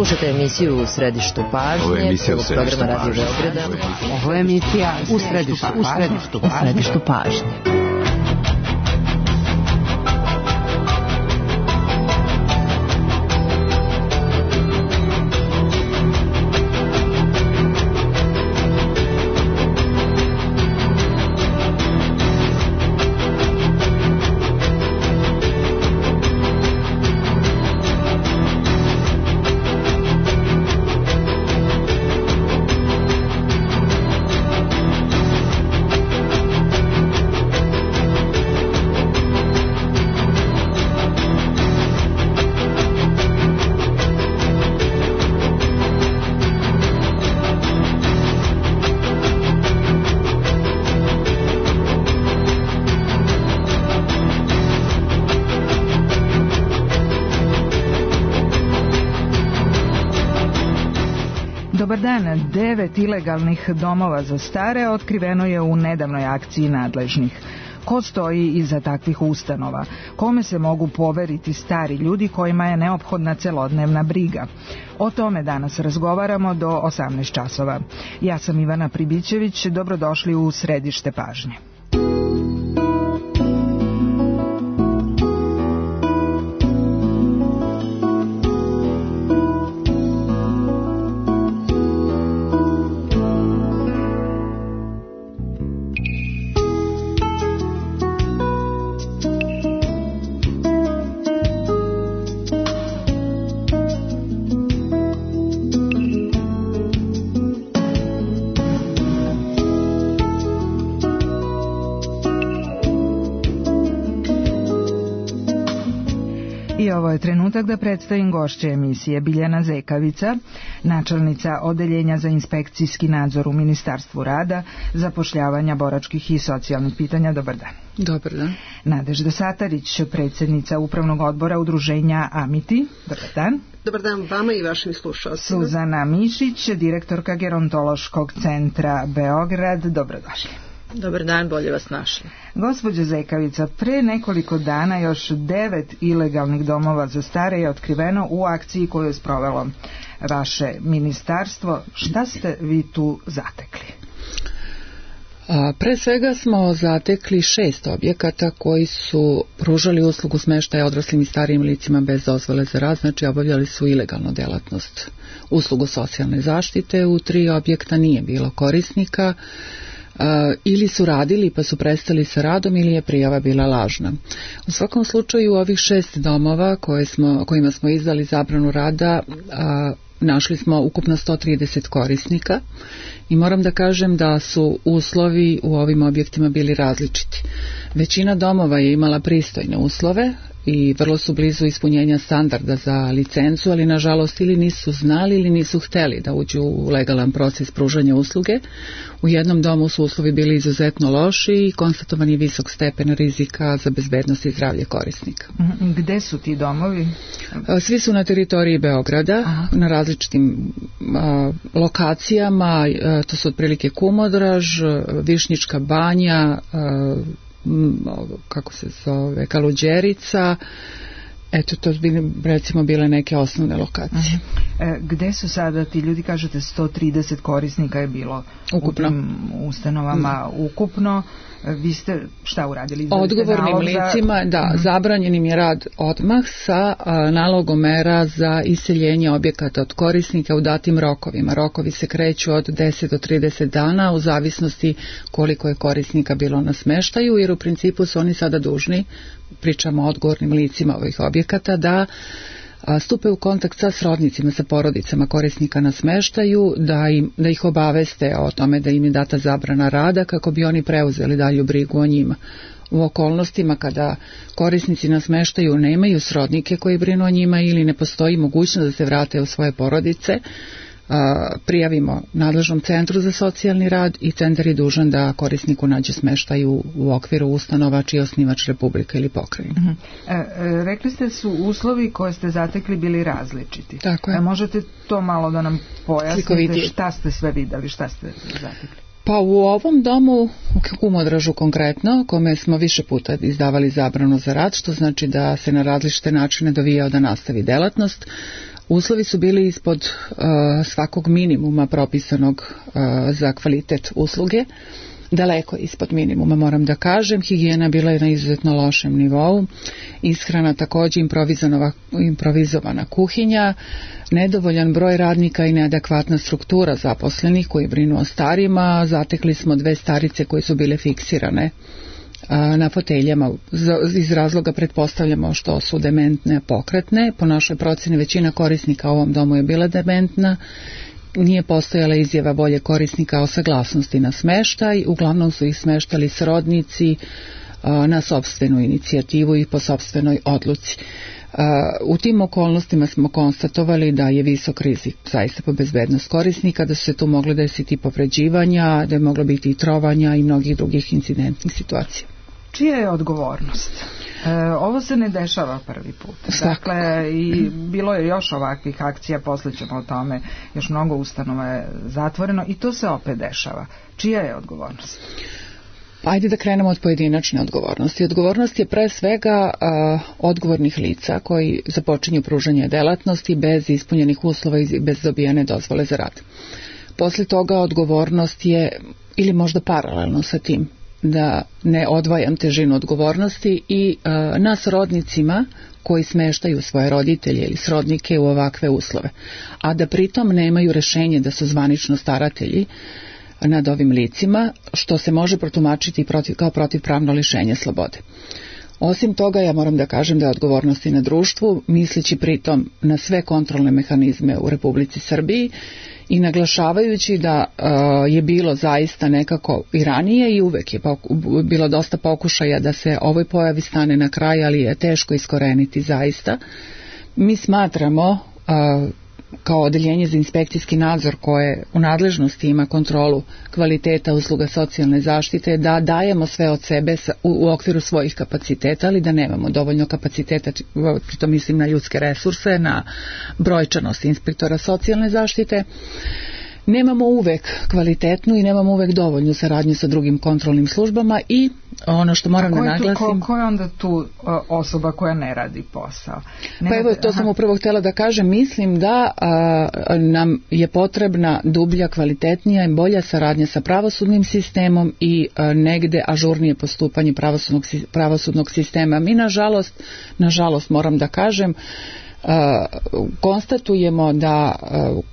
Slušajte emisiju U središtu pažnje, programa Radio Beograda. Ovo je emisija U središtu pažnje. Dobar dan, 9 ilegalnih domova za stare otkriveno je u nedavnoj akciji nadležnih. Ko stoji iza takvih ustanova? Kome se mogu poveriti stari ljudi kojima je neophodna celodnevna briga? O tome danas razgovaramo do 18 časova. Ja sam Ivana Pribićević, dobrodošli u središte pažnje. I ovo je trenutak da predstavim gošće emisije. Biljana Zekavica, načelnica Odeljenja za inspekcijski nadzor u Ministarstvu rada, zapošljavanja, boračkih i socijalnih pitanja. Dobar dan. Dobar dan. Nadežda Satarić, predsjednica Upravnog odbora Udruženja Amiti. Dobar dan. Dobar dan vama i vašim slušalcima. Suzana Mišić, direktorka Gerontološkog centra Beograd. Dobrodošli. Dobar dan, bolje vas našli. Gospođo Zekavica, pre nekoliko dana još 9 ilegalnih domova za stare je otkriveno u akciji koju je sprovelo vaše ministarstvo. Šta ste vi tu zatekli? Pre svega smo zatekli 6 objekata koji su pružali uslugu smeštaja odraslim i starijim licima bez dozvole za rad, znači obavljali su ilegalnu delatnost, uslugu socijalne zaštite. U 3 objekta nije bilo korisnika, ili su radili pa su prestali sa radom ili je prijava bila lažna. U svakom slučaju ovih 6 domova kojima smo izdali zabranu rada, našli smo ukupno 130 korisnika i moram da kažem da su uslovi u ovim objektima bili različiti. Većina domova je imala pristojne uslove i vrlo su blizu ispunjenja standarda za licencu, ali nažalost ili nisu znali ili nisu hteli da uđu u legalan proces pružanja usluge. U jednom domu su uslovi bili izuzetno loši i konstatovan je visok stepen rizika za bezbednost i zdravlje korisnika. Gde su ti domovi? Svi su na teritoriji Beograda. Aha. Na različitim lokacijama, to su otprilike Kumodraž, Višnjička banja, kako se zove, Kaluđerica. Eto, to bi recimo bile neke osnovne lokacije. Gde su sada ti ljudi, kažete 130 korisnika je bilo ukupno u tim ustanovama ukupno. Vi ste šta uradili? Odgovornim licima, zabranjen im je rad odmah sa nalogom mera za iseljenje objekata od korisnika u datim rokovima. Rokovi se kreću od 10 do 30 dana u zavisnosti koliko je korisnika bilo na smeštaju, jer u principu su oni sada dužni, pričamo o odgovornim licima ovih objekata, da stupe u kontakt sa srodnicima, sa porodicama korisnika na smeštaju, da ih obaveste o tome da im je data zabrana rada kako bi oni preuzeli dalju brigu o njima. U okolnostima kada korisnici na smeštaju nemaju srodnike koji brinu o njima ili ne postoji mogućnost da se vrate u svoje porodice, prijavimo nadležnom centru za socijalni rad i centar je dužan da korisniku nađe smeštaj u okviru ustanova čiji je osnivač Republika ili pokrajina. Rekli ste su uslovi koje ste zatekli bili različiti. Tako je. Možete to malo da nam pojasnite šta ste sve videli, šta ste zatekli? Pa u ovom domu, u Kumodražu konkretno, kome smo više puta izdavali zabranu za rad, što znači da se na različite načine dovijao da nastavi delatnost, uslovi su bili ispod svakog minimuma propisanog za kvalitet usluge, daleko ispod minimuma, moram da kažem. Higijena bila je na izuzetno lošem nivou, ishrana također improvizovana kuhinja, nedovoljan broj radnika i neadekvatna struktura zaposlenih koji brinu o starima. Zatekli smo 2 starice koje su bile fiksirane na foteljama, iz razloga pretpostavljamo što su dementne, pokretne. Po našoj procjeni većina korisnika u ovom domu je bila dementna. Nije postojala izjava volje korisnika o saglasnosti na smeštaj, uglavnom su ih smeštali srodnici na sopstvenu inicijativu i po sopstvenoj odluci. U tim okolnostima smo konstatovali da je visok rizik zaista po bezbednost korisnika, da su se tu mogle desiti povređivanja, da je moglo biti i trovanja i mnogih drugih incidentnih situacija. Čija je odgovornost? Ovo se ne dešava prvi put. Dakle, i bilo je još ovakvih akcija, poslije ćemo o tome, još mnogo ustanova je zatvoreno i to se opet dešava. Čija je odgovornost? Ajde da krenemo od pojedinačne odgovornosti. Odgovornost je pre svega odgovornih lica koji započinju pružanje delatnosti bez ispunjenih uslova i bez dobijene dozvole za rad. Poslije toga odgovornost je, ili možda paralelno sa tim, da ne odvajam težinu odgovornosti, i na srodnicima koji smeštaju svoje roditelje ili srodnike u ovakve uslove, a da pritom nemaju rešenje da su zvanično staratelji nad ovim licima, što se može protumačiti kao protivpravno lišenje slobode. Osim toga, ja moram da kažem da je odgovornost i na društvu, misleći pritom na sve kontrolne mehanizme u Republici Srbiji i naglašavajući da je bilo zaista nekako i ranije i uvek je bilo dosta pokušaja da se ovoj pojavi stane na kraj, ali je teško iskoreniti zaista. Mi smatramo kao odeljenje za inspekcijski nadzor koje u nadležnosti ima kontrolu kvaliteta usluga socijalne zaštite, da dajemo sve od sebe u okviru svojih kapaciteta, ali da nemamo dovoljno kapaciteta, pritom mislim na ljudske resurse, na brojčanost inspektora socijalne zaštite. Nemamo uvek kvalitetnu i nemamo uvek dovoljnu saradnju sa drugim kontrolnim službama i ono što moram da naglasim... Ko je onda tu osoba koja ne radi posao? Pa evo, to sam upravo htjela da kažem. Mislim da nam je potrebna dublja, kvalitetnija i bolja saradnja sa pravosudnim sistemom i negde ažurnije postupanje pravosudnog sistema. Mi nažalost moram da kažem, konstatujemo da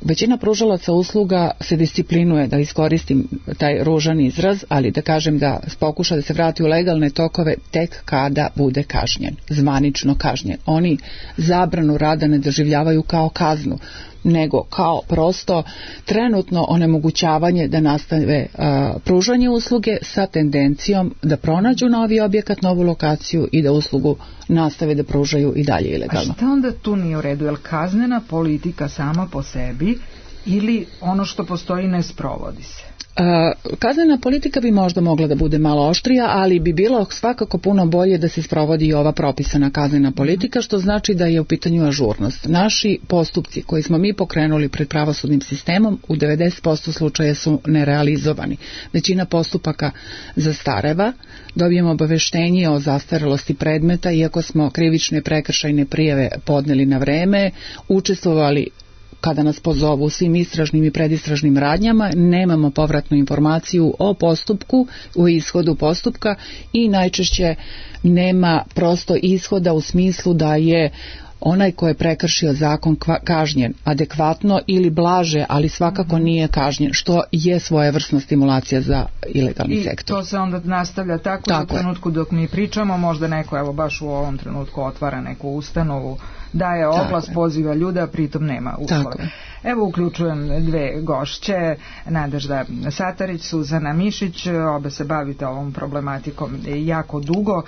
većina pružalaca usluga se disciplinuje, da iskoristim taj ružan izraz, ali da kažem da pokuša da se vrati u legalne tokove tek kada bude kažnjen, zvanično kažnjen. Oni zabranu rada ne doživljavaju kao kaznu, nego kao prosto trenutno onemogućavanje da nastave pružanje usluge sa tendencijom da pronađu novi objekat, novu lokaciju i da uslugu nastave da pružaju i dalje ilegalno. A šta onda tu nije u redu? Je li kaznena politika sama po sebi ili ono što postoji ne sprovodi se? Kaznena politika bi možda mogla da bude malo oštrija, ali bi bilo svakako puno bolje da se sprovodi i ova propisana kaznena politika, što znači da je u pitanju ažurnost. Naši postupci koji smo mi pokrenuli pred pravosudnim sistemom u 90% slučaja su nerealizovani. Većina postupaka zastareva, dobijemo obaveštenje o zastarelosti predmeta, iako smo krivične i prekršajne prijave podneli na vreme, učestvovali kada nas pozovu u svim istražnim i predistražnim radnjama, nemamo povratnu informaciju o postupku, u ishodu postupka i najčešće nema prosto ishoda u smislu da je onaj ko je prekršio zakon kažnjen adekvatno ili blaže, ali svakako nije kažnjen, što je svojevrsna stimulacija za ilegalni sektor. I to se onda nastavlja tako u trenutku dok mi pričamo, možda neko evo baš u ovom trenutku otvara neku ustanovu, daje oglas, poziva ljude, a pritom nema uslove. Evo uključujem dve gošće, Nadežda Satarić, Suzana Mišić, obe se bavite ovom problematikom jako dugo.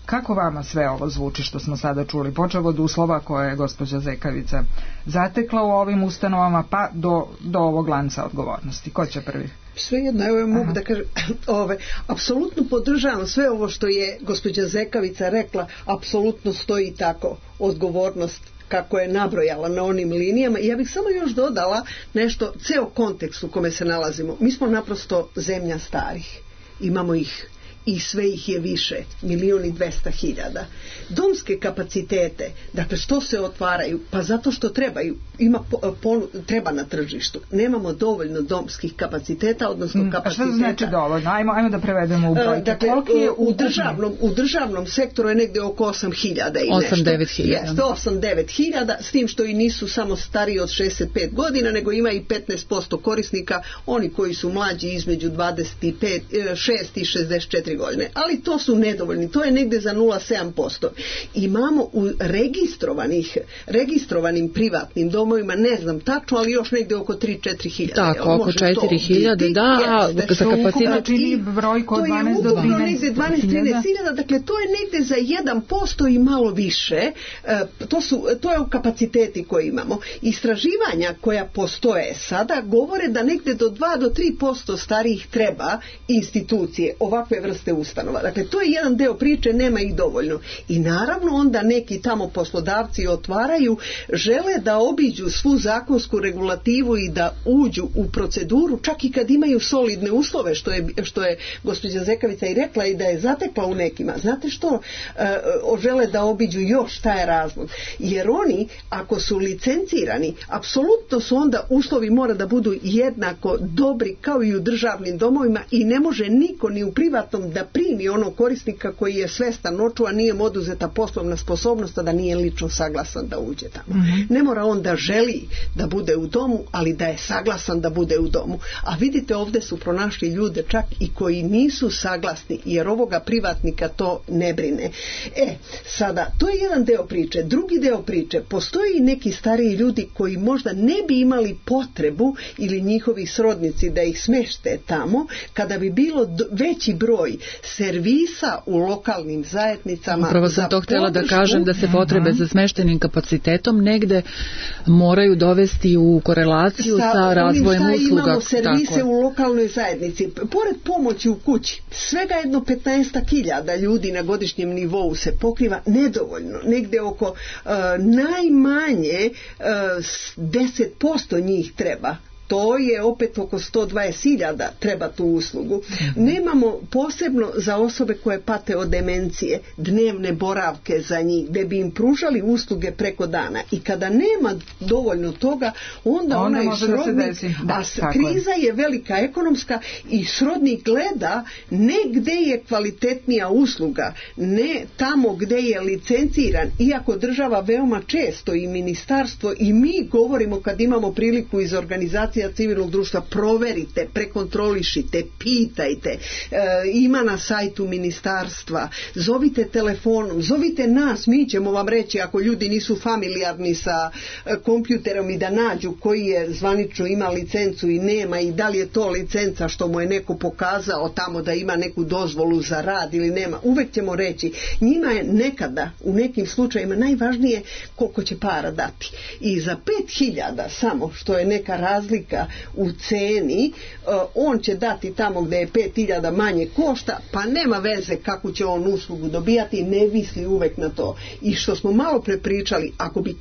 Kako vama sve ovo zvuči što smo sada čuli, počev od uslova koje je gospođa Zekavica zatekla u ovim ustanovama pa do ovog lanca odgovornosti? Ko će prvi? Svejedno, evo mogu da kažem, apsolutno podržavam sve ovo što je gospođa Zekavica rekla, apsolutno stoji tako, odgovornost kako je nabrojala na onim linijama. Ja bih samo još dodala nešto, ceo kontekst u kome se nalazimo. Mi smo naprosto zemlja starih. Imamo ih i sve ih je više, 1.200.000. Domske kapacitete, dakle što se otvaraju? Pa zato što trebaju, treba na tržištu. Nemamo dovoljno domskih kapaciteta, odnosno kapaciteta. A što znači dovoljno? Ajmo da prevedemo u brojke. Dakle, u državnom sektoru je negdje oko 8.000 i nešto. 8-9.000. Jeste, 8-9.000, s tim što i nisu samo stariji od 65 godina, nego ima i 15% korisnika, oni koji su mlađi između 26 i 64 godine, ali to su nedovoljni, to je negdje za 0,7%. Imamo u registrovanim privatnim domovima, ne znam tačno, ali još negdje oko 3-4 hiljade. Tako, oko 4.000, da, za kapacitet. Čini brojko od 12 do 13 hiljada, dakle to je negdje za 1% i malo više, to je u kapaciteti koje imamo. Istraživanja koja postoje sada govore da negdje do 2-3% starijih treba institucije, ovakve vrste ustanova. Dakle, to je jedan deo priče, nema ih dovoljno. I naravno onda neki tamo poslodavci otvaraju, žele da obiđu svu zakonsku regulativu i da uđu u proceduru, čak i kad imaju solidne uslove, što je gospođa Zekavica i rekla i da je zatekla u nekima. Znate što? Žele da obiđu još, šta je razlog? Jer oni, ako su licencirani, apsolutno su onda uslovi mora da budu jednako dobri kao i u državnim domovima i ne može niko ni u privatnom da primi onog korisnika koji je svestan oču, a nije mu oduzeta poslovna sposobnost, a da nije lično saglasan da uđe tamo. Ne mora on da želi da bude u domu, ali da je saglasan da bude u domu. A vidite, ovdje su pronašli ljude čak i koji nisu saglasni, jer ovoga privatnika to ne brine. Sada, to je jedan deo priče. Drugi deo priče, postoji i neki stariji ljudi koji možda ne bi imali potrebu ili njihovi srodnici da ih smešte tamo, kada bi bilo veći broj servisa u lokalnim zajednicama. Upravo sam to htjela da kažem, da se potrebe za smeštenim kapacitetom negde moraju dovesti u korelaciju sa razvojem usluga. Imamo servise u lokalnoj zajednici. Pored pomoći u kući, svega jedno 15.000 ljudi na godišnjem nivou se pokriva, nedovoljno. Negde oko najmanje 10% njih treba. To je opet oko 120.000 treba tu uslugu. Nemamo posebno za osobe koje pate od demencije dnevne boravke za njih, gdje bi im pružali usluge preko dana. I kada nema dovoljno toga, onda onaj srodnik, kriza je velika ekonomska i srodnik gleda ne gdje je kvalitetnija usluga, ne tamo gdje je licenciran, iako država veoma često i ministarstvo i mi govorimo kad imamo priliku iz organizacije civilnog društva, proverite, prekontrolišite, pitajte, ima na sajtu ministarstva, zovite telefonom, zovite nas, mi ćemo vam reći ako ljudi nisu familijarni sa kompjuterom i da nađu koji je zvanično ima licencu i nema i da li je to licenca što mu je neko pokazao tamo da ima neku dozvolu za rad ili nema, uvek ćemo reći. Njima je nekada, u nekim slučajima najvažnije koliko će para dati. I za 5.000 samo, što je neka razlika u ceni, on će dati tamo gdje je 5.000 manje košta, pa nema veze kako će on uslugu dobijati, ne misli uvek na to. I što smo malo prepričali, ako bi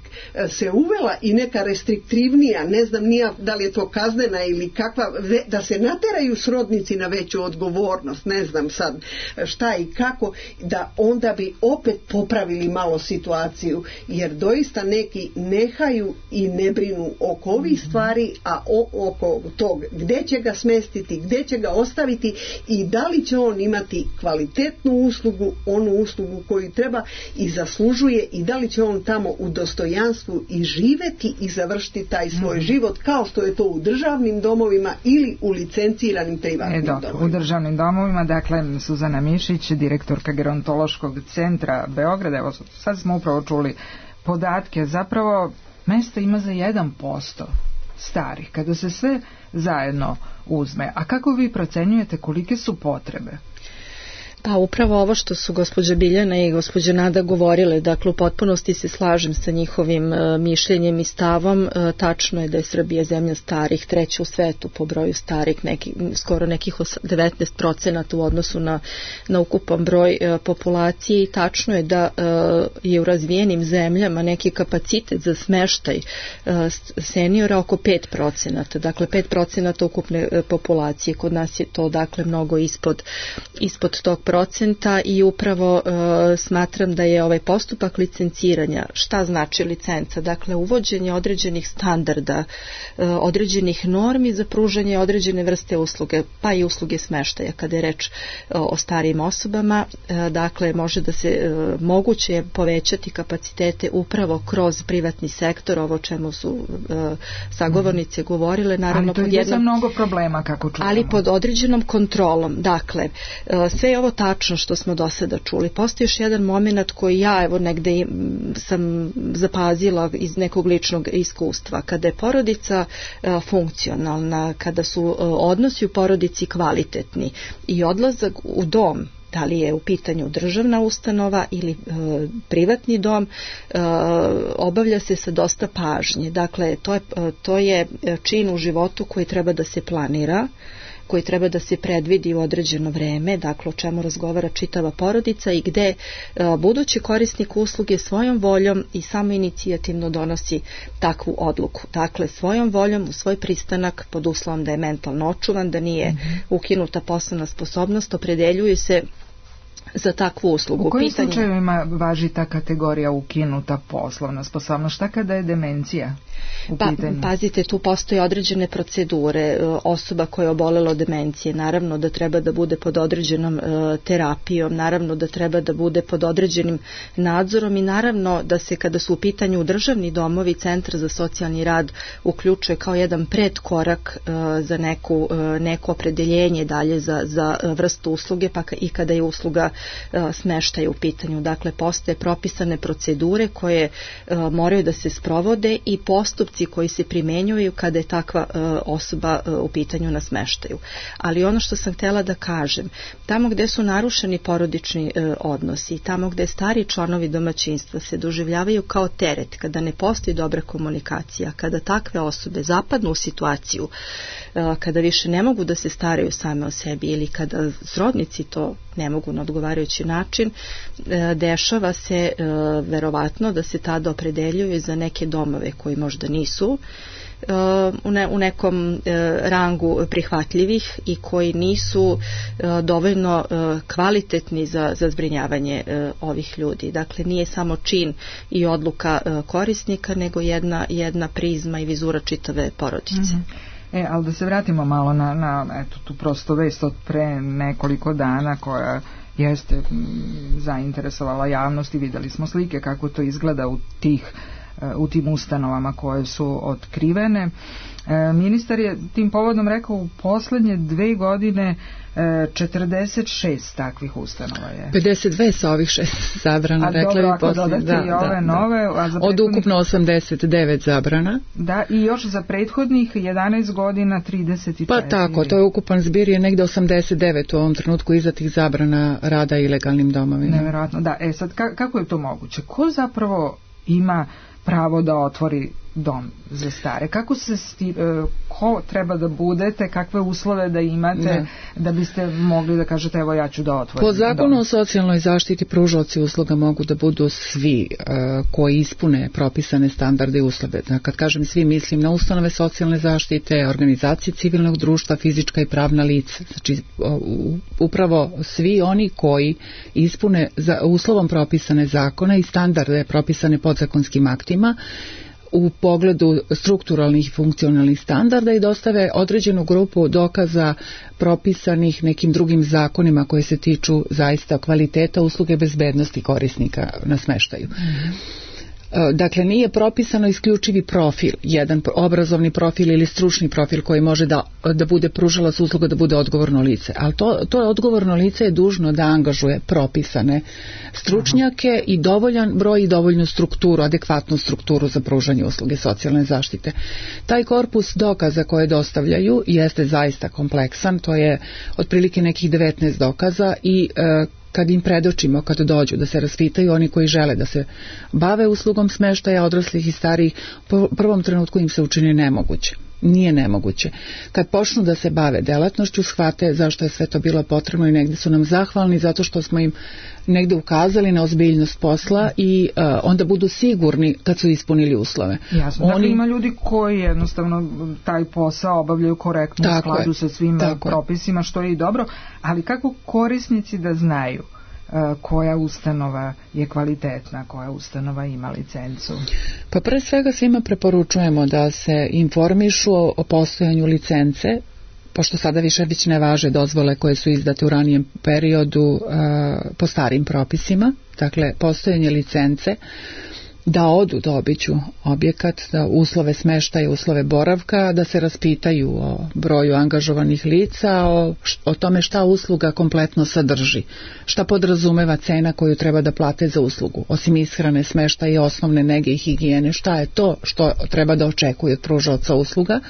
se uvela i neka restriktivnija, ne znam nija da li je to kaznena ili kakva, da se nateraju srodnici na veću odgovornost, ne znam sad šta i kako, da onda bi opet popravili malo situaciju, jer doista neki nehaju i ne brinu oko ovih stvari, a oko tog gdje će ga smestiti, gdje će ga ostaviti i da li će on imati kvalitetnu uslugu, onu uslugu koju treba i zaslužuje, i da li će on tamo u dostojanstvu i živeti i završiti taj svoj život kao što je to u državnim domovima ili u licenciranim privatnim domovima. U državnim domovima, dakle, Suzana Mišić, direktorka Gerontološkog centra Beograda, evo sad smo upravo čuli podatke, zapravo mesta ima za 1% starih, kada se sve zajedno uzme. A kako vi procenjujete kolike su potrebe? Pa upravo ovo što su gospođa Biljana i gospođa Nada govorile, dakle u potpunosti se slažem sa njihovim mišljenjem i stavom. Tačno je da je Srbija zemlja starih, treća u svetu po broju starih, skoro nekih 19% u odnosu na ukupan broj populacije, i tačno je da je u razvijenim zemljama neki kapacitet za smeštaj seniora oko 5%, dakle 5% ukupne populacije. Kod nas je to dakle mnogo ispod tog procenta, i upravo smatram da je ovaj postupak licenciranja, šta znači licenca? Dakle, uvođenje određenih standarda, određenih normi za pružanje određene vrste usluge, pa i usluge smeštaja kada je reč o starijim osobama. Dakle, moguće je povećati kapacitete upravo kroz privatni sektor, ovo čemu su sagovornice govorile, naravno ali to je za mnogo problema, kako čujemo. Ali pod određenom kontrolom. Dakle, sve je ovo tačno što smo do sada čuli. Postoji još jedan moment koji ja negde sam zapazila iz nekog ličnog iskustva. Kada je porodica funkcionalna, kada su odnosi u porodici kvalitetni i odlazak u dom, da li je u pitanju državna ustanova ili privatni dom, obavlja se sa dosta pažnje. Dakle, to je čin u životu koji treba da se planira, koji treba da se predvidi u određeno vreme, dakle o čemu razgovara čitava porodica i gde budući korisnik usluge svojom voljom i samoinicijativno donosi takvu odluku. Dakle, svojom voljom, u svoj pristanak, pod uslovom da je mentalno očuvan, da nije ukinuta poslovna sposobnost, opredeljuje se za takvu uslugu. U kojim slučajevima važi ta kategorija ukinuta poslovna sposobnost? Šta kada je demencija u pitanju? Pazite, tu postoje određene procedure. Osoba koja je obolela od demencije, naravno da treba da bude pod određenom terapijom, naravno da treba da bude pod određenim nadzorom i naravno da se, kada su u pitanju državni domovi, Centar za socijalni rad uključuje kao jedan predkorak za neko opredeljenje dalje za vrstu usluge, pa i kada je usluga smeštaja u pitanju. Dakle, postoje propisane procedure koje moraju da se sprovode i postupci koji se primenjuju kada je takva osoba u pitanju na smeštaju. Ali ono što sam htjela da kažem, tamo gde su narušeni porodični odnosi, tamo gde stari članovi domaćinstva se doživljavaju kao teret, kada ne postoji dobra komunikacija, kada takve osobe zapadnu u situaciju, kada više ne mogu da se staraju same o sebi ili kada srodnici to ne mogu na odgovarajući način, dešava se verovatno da se tada opredeljuju za neke domove koji možda nisu u nekom rangu prihvatljivih i koji nisu dovoljno kvalitetni za zbrinjavanje ovih ljudi. Dakle, nije samo čin i odluka korisnika, nego jedna prizma i vizura čitave porodice. Ali da se vratimo malo na tu prosto vest od pre nekoliko dana koja jeste zainteresovala javnost i videli smo slike kako to izgleda u tim ustanovama koje su otkrivene. Ministar je tim povodom rekao u poslednje 2 godine 46 takvih ustanova je. 52 sa ovih 6 zabrana, rekla bi poslije. Od ukupno 89 zabrana. Da, i još za prethodnih 11 godina 34. Pa tako, to je ukupan zbir je negde 89 u ovom trenutku izdatih zabrana rada ilegalnim domovima. Nevjerojatno, da. Sad, kako je to moguće? Ko zapravo ima pravo da otvori dom za stare? Kako ko treba da budete, kakve uslove da imate da biste mogli da kažete evo ja ću da otvorim Po zakonu o socijalnoj zaštiti pružaoci usluga mogu da budu svi koji ispune propisane standarde i uslove. Kad kažem svi, mislim na ustanove socijalne zaštite, organizacije civilnog društva, fizička i pravna lica. Znači upravo svi oni koji ispune uslovom propisane zakone i standarde propisane podzakonskim aktima u pogledu strukturalnih i funkcionalnih standarda i dostave određenu grupu dokaza propisanih nekim drugim zakonima koje se tiču zaista kvaliteta usluge bezbednosti korisnika na smeštaju. Dakle, nije propisano isključivi profil, jedan obrazovni profil ili stručni profil koji može da bude pružalac usluga, da bude odgovorno lice. Ali to odgovorno lice je dužno da angažuje propisane stručnjake i dovoljan broj i dovoljnu strukturu, adekvatnu strukturu za pružanje usluge socijalne zaštite. Taj korpus dokaza koje dostavljaju jeste zaista kompleksan, to je otprilike nekih 19 dokaza i kad im predočimo, kad dođu da se raspitaju, oni koji žele da se bave uslugom smeštaja odraslih i starijih, u prvom trenutku im se učini nemoguće. Nije nemoguće. Kad počnu da se bave delatnošću, shvate zašto je sve to bilo potrebno i negde su nam zahvalni zato što smo im negde ukazali na ozbiljnost posla i onda budu sigurni kad su ispunili uslove. Jasno, dakle ima ljudi koji jednostavno taj posao obavljaju korektno u skladu sa svim propisima, što je i dobro, ali kako korisnici da znaju koja ustanova je kvalitetna, koja ustanova ima licencu? Pa pre svega svima preporučujemo da se informišu o postojanju licence, pošto sada više ne važe dozvole koje su izdate u ranijem periodu po starim propisima, dakle postojanje licence, da odu da obiđu objekat, da uslove smeštaja, uslove boravka, da se raspitaju o broju angažovanih lica, o tome šta usluga kompletno sadrži, šta podrazumeva cena koju treba da plate za uslugu, osim ishrane, smeštaja i osnovne nege i higijene, šta je to što treba da očekuje od pružaoca usluga.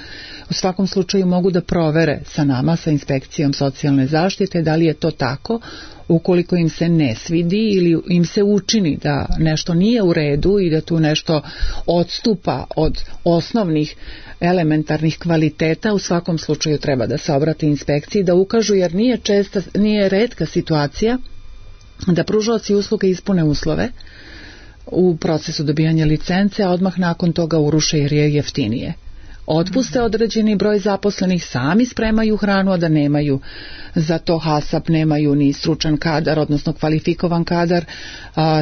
U svakom slučaju mogu da provere sa nama, sa inspekcijom socijalne zaštite, da li je to tako. Ukoliko im se ne svidi ili im se učini da nešto nije u redu i da tu nešto odstupa od osnovnih elementarnih kvaliteta, u svakom slučaju treba da se obrati inspekciji, da ukažu, jer nije retka situacija da pružaoci usluge ispune uslove u procesu dobijanja licence, a odmah nakon toga uruše jer je jeftinije. Otpuste određeni broj zaposlenih, sami spremaju hranu, a da nemaju za to HASAP, nemaju ni stručan kadar, odnosno kvalifikovan kadar,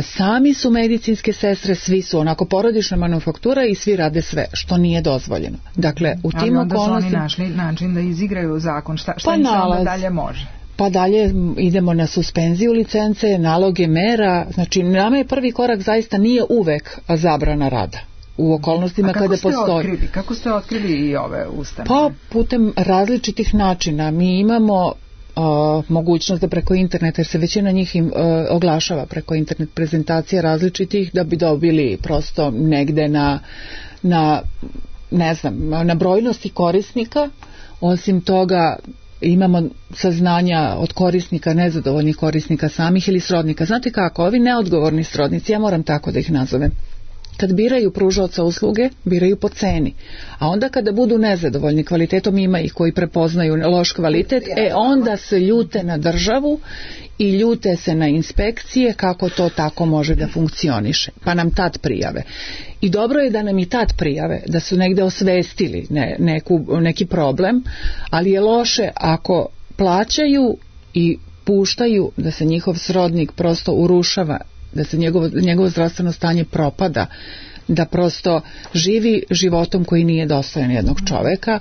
sami su medicinske sestre, svi su onako porodična manufaktura i svi rade sve, što nije dozvoljeno. Dakle, u tim okolnostima... Ali onda su oni našli način da izigraju zakon, šta im se onda dalje može? Pa dalje idemo na suspenziju licence, naloge mera, znači nama je prvi korak zaista nije uvek zabrana rada. U okolnostima kada postoji. Kako ste otkrili i ove ustanove? Pa putem različitih načina. Mi imamo mogućnost da preko interneta, jer se većina njih oglašava preko internet prezentacija različitih, da bi dobili prosto negde na brojnosti korisnika. Osim toga imamo saznanja od korisnika, nezadovoljnih korisnika samih ili srodnika. Znate kako, ovi neodgovorni srodnici, ja moram tako da ih nazovem, kad biraju pružaoca usluge, biraju po ceni. A onda kada budu nezadovoljni kvalitetom, ima ih koji prepoznaju loš kvalitet, onda se ljute na državu i ljute se na inspekcije kako to tako može da funkcioniše. Pa nam tad prijave. I dobro je da nam i tad prijave, da su negde osvestili neki problem, ali je loše ako plaćaju i puštaju da se njihov srodnik prosto urušava, da se njegovo zdravstveno stanje propada, da prosto živi životom koji nije dostojan jednog čoveka.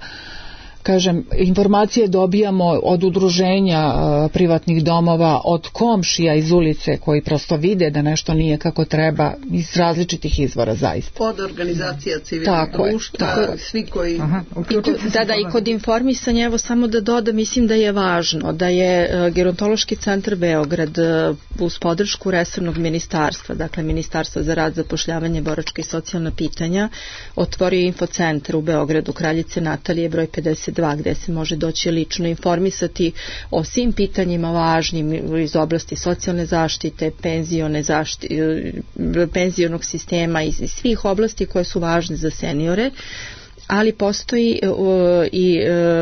Kažem, informacije dobijamo od udruženja privatnih domova, od komšija iz ulice koji prosto vide da nešto nije kako treba, iz različitih izvora zaista. Od organizacija civilnog društva, svi koji... I kod informisanja, evo samo da dodam, mislim da je važno da je Gerontološki centar Beograd uz podršku resornog ministarstva, dakle Ministarstva za rad, zapošljavanje, boračka i socijalna pitanja, otvorio infocentar u Beogradu, Kraljice Natalije, broj 52, gde se može doći lično informisati o svim pitanjima važnim iz oblasti socijalne zaštite, penzionog sistema i svih oblasti koje su važne za seniore. Ali postoji i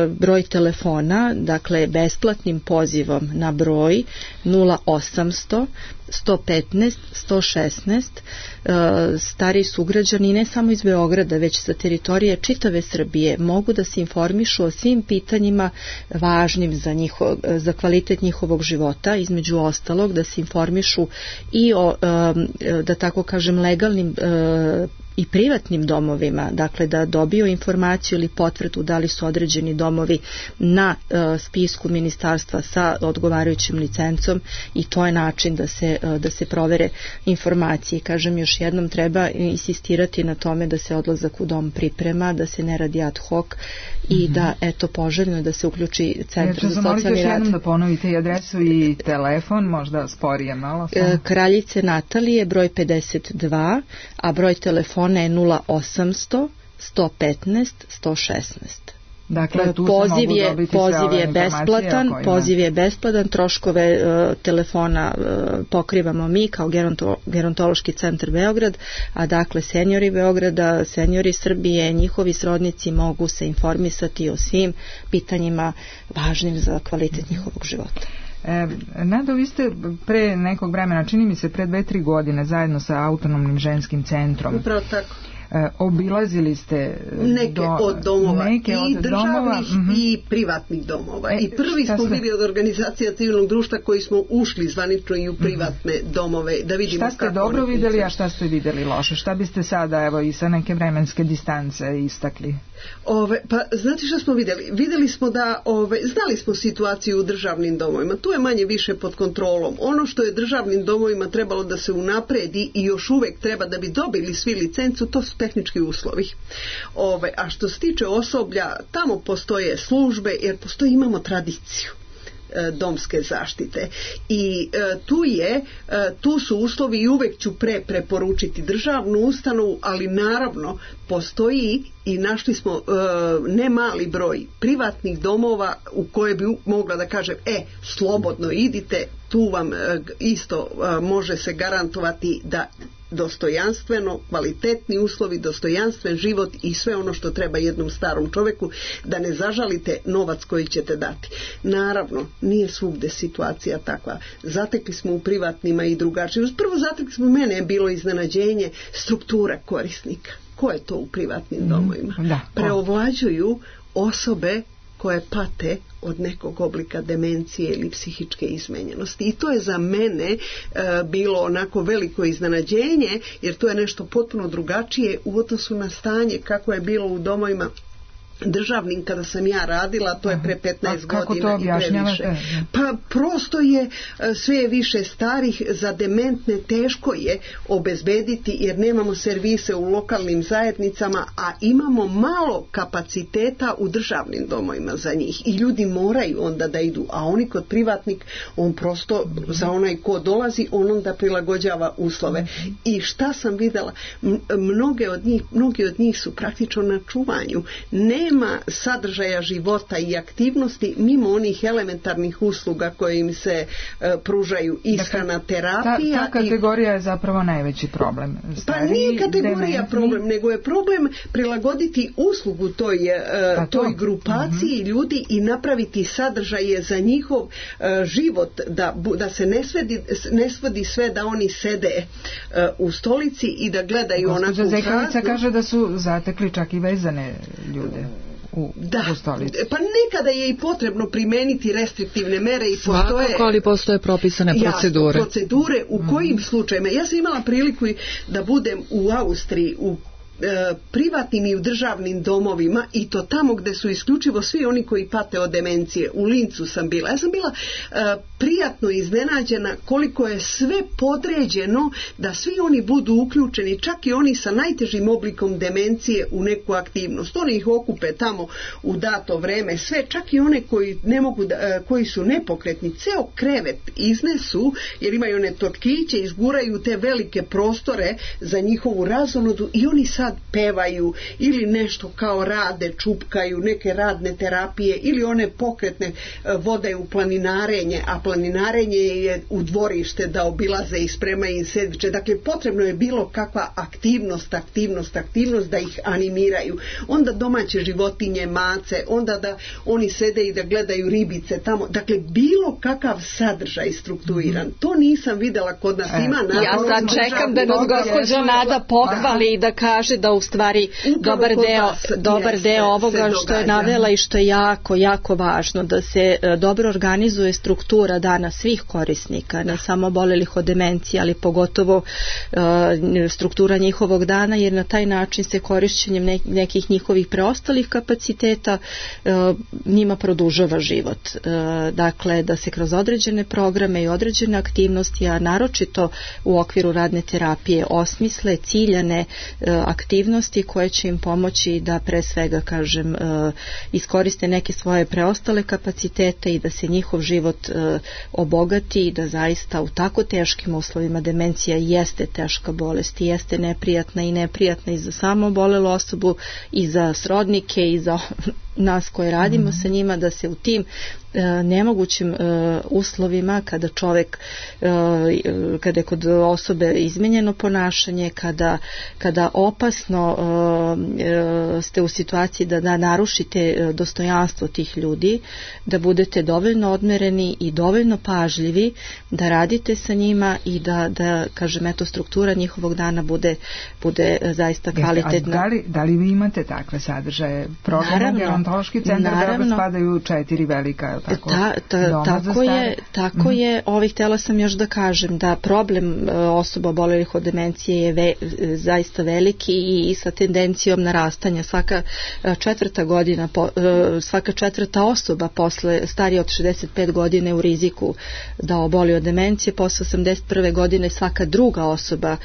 broj telefona, dakle besplatnim pozivom na broj 0800 115 116. Stariji sugrađani ne samo iz Beograda, već sa teritorije čitave Srbije mogu da se informišu o svim pitanjima važnim za kvalitet njihovog života, između ostalog da se informišu i o, da tako kažem, legalnim i privatnim domovima, dakle da dobiju informaciju ili potvrdu da li su određeni domovi na spisku ministarstva sa odgovarajućim licencom, i to je način da se da se provere informacije. Kažem još jednom, treba insistirati na tome da se odlazak u dom priprema, da se ne radi ad hoc i da poželjno da se uključi centar za socijalni rad. Jednom da ponovite i adresu i telefon, možda sporije malo. Kraljice Natalije, broj 52, a broj telefona je 0800 115 116. Dakle, poziv je besplatan, troškove telefona pokrivamo mi kao Gerontološki centar Beograd, a dakle seniori Beograda, seniori Srbije, njihovi srodnici mogu se informisati o svim pitanjima važnim za kvalitet njihovog života. Nado, vi ste pre nekog vremena, čini mi se pre 2-3 godine, zajedno sa Autonomnim ženskim centrom. Upravo tako. Obilazili ste neke od domova i državnih i privatnih domova i prvi smo bili od organizacija civilnog društva koji smo ušli zvanično i u privatne domove da vidimo šta ste dobro vidjeli, a šta ste vidjeli loše, šta biste sada evo i sa neke vremenske distance istakli? Pa znate šta smo vidjeli? Vidjeli smo da znali smo situaciju u državnim domovima, tu je manje više pod kontrolom. Ono što je državnim domovima trebalo da se unapredi i još uvek treba da bi dobili svi licencu, to su tehnički uslovi. A što se tiče osoblja, tamo postoje službe jer imamo tradiciju domske zaštite i tu su uslovi i uvek ću preporučiti državnu ustanovu, ali naravno postoji i našli smo ne mali broj privatnih domova u koje bi mogla da kažem slobodno idite, tu vam isto može se garantovati da dostojanstveno, kvalitetni uslovi, dostojanstven život i sve ono što treba jednom starom čoveku, da ne zažalite novac koji ćete dati. Naravno, nije svugde situacija takva. Zatekli smo u privatnima i drugačije. Prvo zatekli smo, mene je bilo iznenađenje struktura korisnika. Ko je to u privatnim domovima? Preovlađuju osobe koje pate od nekog oblika demencije ili psihičke izmenjenosti. I to je za mene bilo onako veliko iznenađenje, jer to je nešto potpuno drugačije u odnosu na stanje kako je bilo u domovima državnim kada sam ja radila, to je pre 15 godina i previše. Pa prosto je sve više starih, za dementne teško je obezbediti jer nemamo servise u lokalnim zajednicama, a imamo malo kapaciteta u državnim domovima za njih i ljudi moraju onda da idu, a oni kod privatnik, on prosto za onaj ko dolazi, on onda prilagođava uslove. I šta sam videla, mnogi od njih su praktično na čuvanju. Nema sadržaja života i aktivnosti mimo onih elementarnih usluga koje im se pružaju, ishrana, terapija. Ta kategorija je zapravo najveći problem. Pa nije kategorija problem, nego je problem prilagoditi uslugu toj grupaciji ljudi i napraviti sadržaje za njihov život, da se ne svodi sve da oni sede u stolici i da gledaju onako prazno. Gospođa Zekovica kaže da su zatekli čak i vezane ljude. Pa nekada je i potrebno primeniti restriktivne mere i svakako, ali postoje propisane procedure u kojim slučajima. Ja sam imala priliku da budem u Austriji u privatnim i u državnim domovima i to tamo gde su isključivo svi oni koji pate od demencije. U Lincu sam bila. Ja sam bila prijatno iznenađena koliko je sve podređeno da svi oni budu uključeni, čak i oni sa najtežim oblikom demencije u neku aktivnost. Oni ih okupe tamo u dato vreme, sve, čak i one koji ne mogu koji su nepokretni, ceo krevet iznesu jer imaju one totkiće, izguraju te velike prostore za njihovu razonodu i oni sad pevaju ili nešto kao rade, čupkaju, neke radne terapije ili one pokretne vode u planinarenje, a planinarenje je u dvorište da obilaze i spremaju im sendviče. Dakle, potrebno je bilo kakva aktivnost da ih animiraju. Onda domaće životinje, mace, onda da oni sede i da gledaju ribice tamo. Dakle, bilo kakav sadržaj strukturiran. To nisam videla kod nas. Ima ja sad čekam da nas gospođa Nada pohvali i da kaže kaže da u stvari dobar deo ovoga što je navela i što je jako, jako važno, da se dobro organizuje struktura dana svih korisnika, ne samo obolelih od demencije, ali pogotovo struktura njihovog dana, jer na taj način se korišćenjem nekih njihovih preostalih kapaciteta njima produžava život. Dakle, da se kroz određene programe i određene aktivnosti, a naročito u okviru radne terapije, osmisle ciljane aktivnosti koje će im pomoći da pre svega, kažem, iskoriste neke svoje preostale kapacitete i da se njihov život obogati i da zaista u tako teškim uslovima, demencija jeste teška bolest i jeste neprijatna i za samo obolelu osobu i za srodnike i za nas koji radimo sa njima, da se u tim nemogućim uslovima, kada čovjek, kada je kod osobe izmenjeno ponašanje, kada opasno ste u situaciji da narušite dostojanstvo tih ljudi, da budete dovoljno odmereni i dovoljno pažljivi, da radite sa njima i da kažem, eto, struktura njihovog dana bude zaista kvalitetna. Da li vi imate takve sadržaje? Program Gerontološki centar Beograd spadaju 4 velika Tako je. Htjela sam još da kažem da problem osoba obolelih od demencije je zaista veliki i sa tendencijom narastanja. Svaka četvrta osoba posle starije od 65 godine u riziku da oboli od demencije, posle 81. godine svaka druga osoba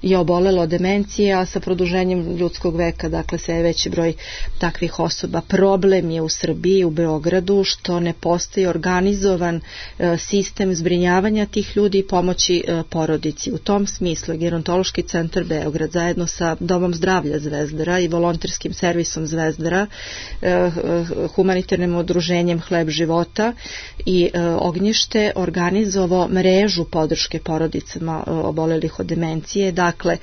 je obolela od demencije, a sa produženjem ljudskog veka, dakle, sve je veći broj takvih osoba. Problem je u Srbiji, u Beogradu, što ne postoji organizovan sistem zbrinjavanja tih ljudi i pomoći porodici. U tom smislu Gerontološki centar Beograd zajedno sa Domom zdravlja Zvezdara i volonterskim servisom Zvezdara, humanitarnim udruženjem Hleb života i Ognjište organizovao mrežu podrške porodicama obolelih od demencije. Dakle,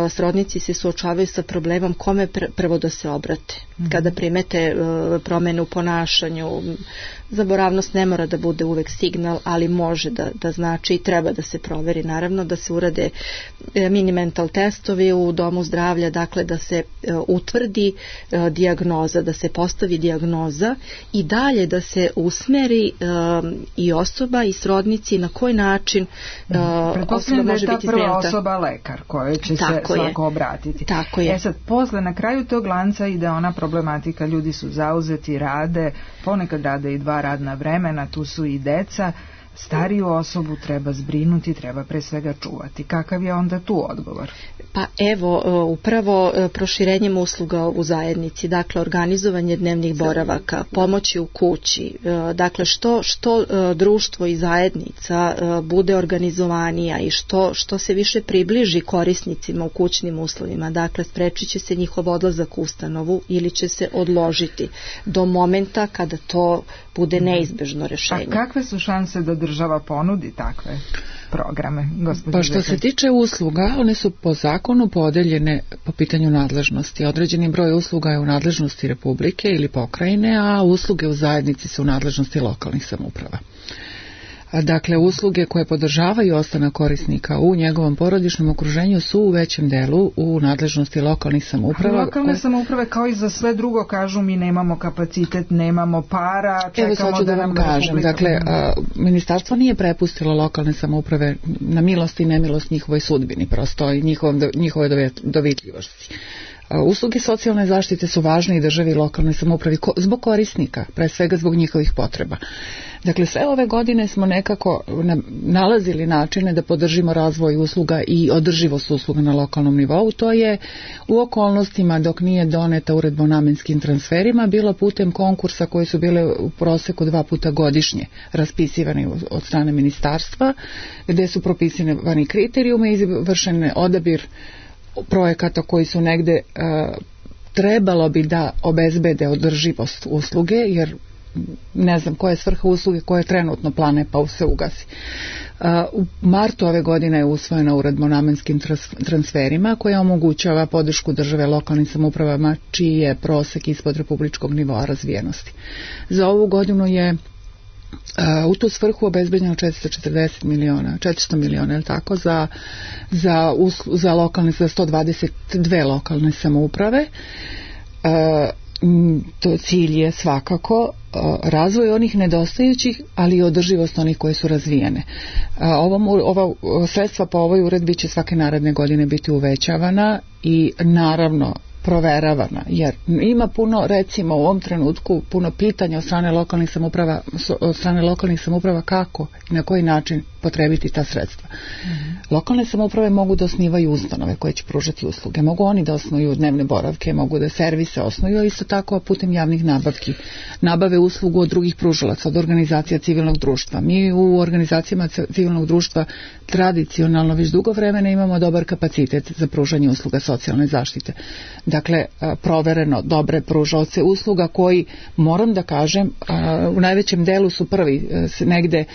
srodnici se suočavaju sa problemom kome prvo da se obrate. Kada primete promene u ponašanju, zaboravnost ne mora da bude uvek signal, ali može da znači i treba da se proveri, naravno, da se urade mini mental testovi u domu zdravlja, dakle da se utvrdi dijagnoza, da se postavi dijagnoza i dalje da se usmeri i osoba i srodnici na koji način osoba može biti zbrinuta. Prva osoba lekar kojoj će se svako obratiti. Tako je. Sad, posle, na kraju tog lanca ide ona problematika, ljudi su zauzeti, rade, ponekad rade i 2 radna vremena, tu su i deca, stariju osobu treba zbrinuti, treba pre svega čuvati. Kakav je onda tu odgovor? Pa evo, upravo proširenjem usluga u zajednici, dakle organizovanje dnevnih boravaka, pomoći u kući, dakle što društvo i zajednica bude organizovanija i što se više približi korisnicima u kućnim uslovima, dakle sprečit će se njihov odlazak u ustanovu ili će se odložiti do momenta kada to bude neizbežno rešenje. A kakve su šanse da država ponudi takve programe? Pa što se tiče usluga, one su po zakonu podeljene po pitanju nadležnosti. Određeni broj usluga je u nadležnosti Republike ili pokrajine, a usluge u zajednici su u nadležnosti lokalnih samouprava. Dakle, usluge koje podržavaju ostanak korisnika u njegovom porodičnom okruženju su u većem delu u nadležnosti lokalnih samouprava. Lokalne samouprave kao i za sve drugo kažu mi nemamo kapacitet, nemamo para, čekamo da nam kažem. Dakle, ministarstvo nije prepustilo lokalne samouprave na milost i nemilost njihovoj sudbini, prosto i njihove dovitljivosti. Usluge socijalne zaštite su važne i državi i lokalnoj samoupravi zbog korisnika, pre svega zbog njihovih potreba. Dakle, sve ove godine smo nekako nalazili načine da podržimo razvoj usluga i održivost usluga na lokalnom nivou. To je u okolnostima dok nije doneta uredba o namenskim transferima bilo putem konkursa koji su bile u proseku 2 puta godišnje raspisivani od strane ministarstva, gde su propisani kriterijumi i vršen odabir projekata koji su negde trebalo bi da obezbede održivost usluge, jer ne znam koja je svrha usluge koja je trenutno plane pa se ugasi. U martu ove godine je usvojena uredba o namenskim transferima koja omogućava podršku države lokalnim samoupravama čiji je prosek ispod republičkog nivoa razvijenosti. Za ovu godinu je U tu svrhu obezbeđeno 400 miliona, je li tako, za 122 lokalne samouprave. To cilj je svakako razvoj onih nedostajućih, ali i održivost onih koje su razvijene. Ova sredstva po ovoj uredbi će svake naredne godine biti uvećavana i naravno proveravana, jer ima puno, recimo u ovom trenutku, puno pitanja od strane lokalnih samouprava kako i na koji način potrebiti ta sredstva. Lokalne samouprave mogu da osnivaju ustanove koje će pružati usluge, mogu oni da osnuju dnevne boravke, mogu da servise osnuju, a isto tako putem javnih nabavki nabave uslugu od drugih pružalaca, od organizacija civilnog društva. Mi u organizacijama civilnog društva tradicionalno već dugo vremena imamo dobar kapacitet za pružanje usluga socijalne zaštite. Dakle, provereno dobre pružaoce usluga koji, moram da kažem, u najvećem delu su prvi se negde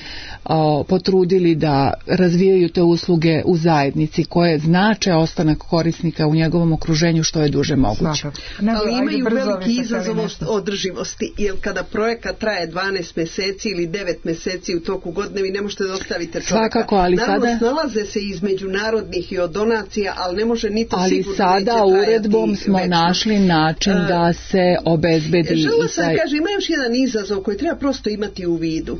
potrudili da razvijaju te usluge u zajednici koje znače ostanak korisnika u njegovom okruženju što je duže moguće. Ali imaju veliki izazov održivosti, jer kada projekat traje 12 mjeseci ili 9 mjeseci u toku godine, vi ne možete da ostavite čovjeka. Svakako, ali naravno, sada snalaze se iz međunarodnih i od donacija, ali ne može ni to ali sigurno sada uredbom smo našli način da se obezbedi. Žela sam kaže, ima još jedan izazov koji treba prosto imati u vidu.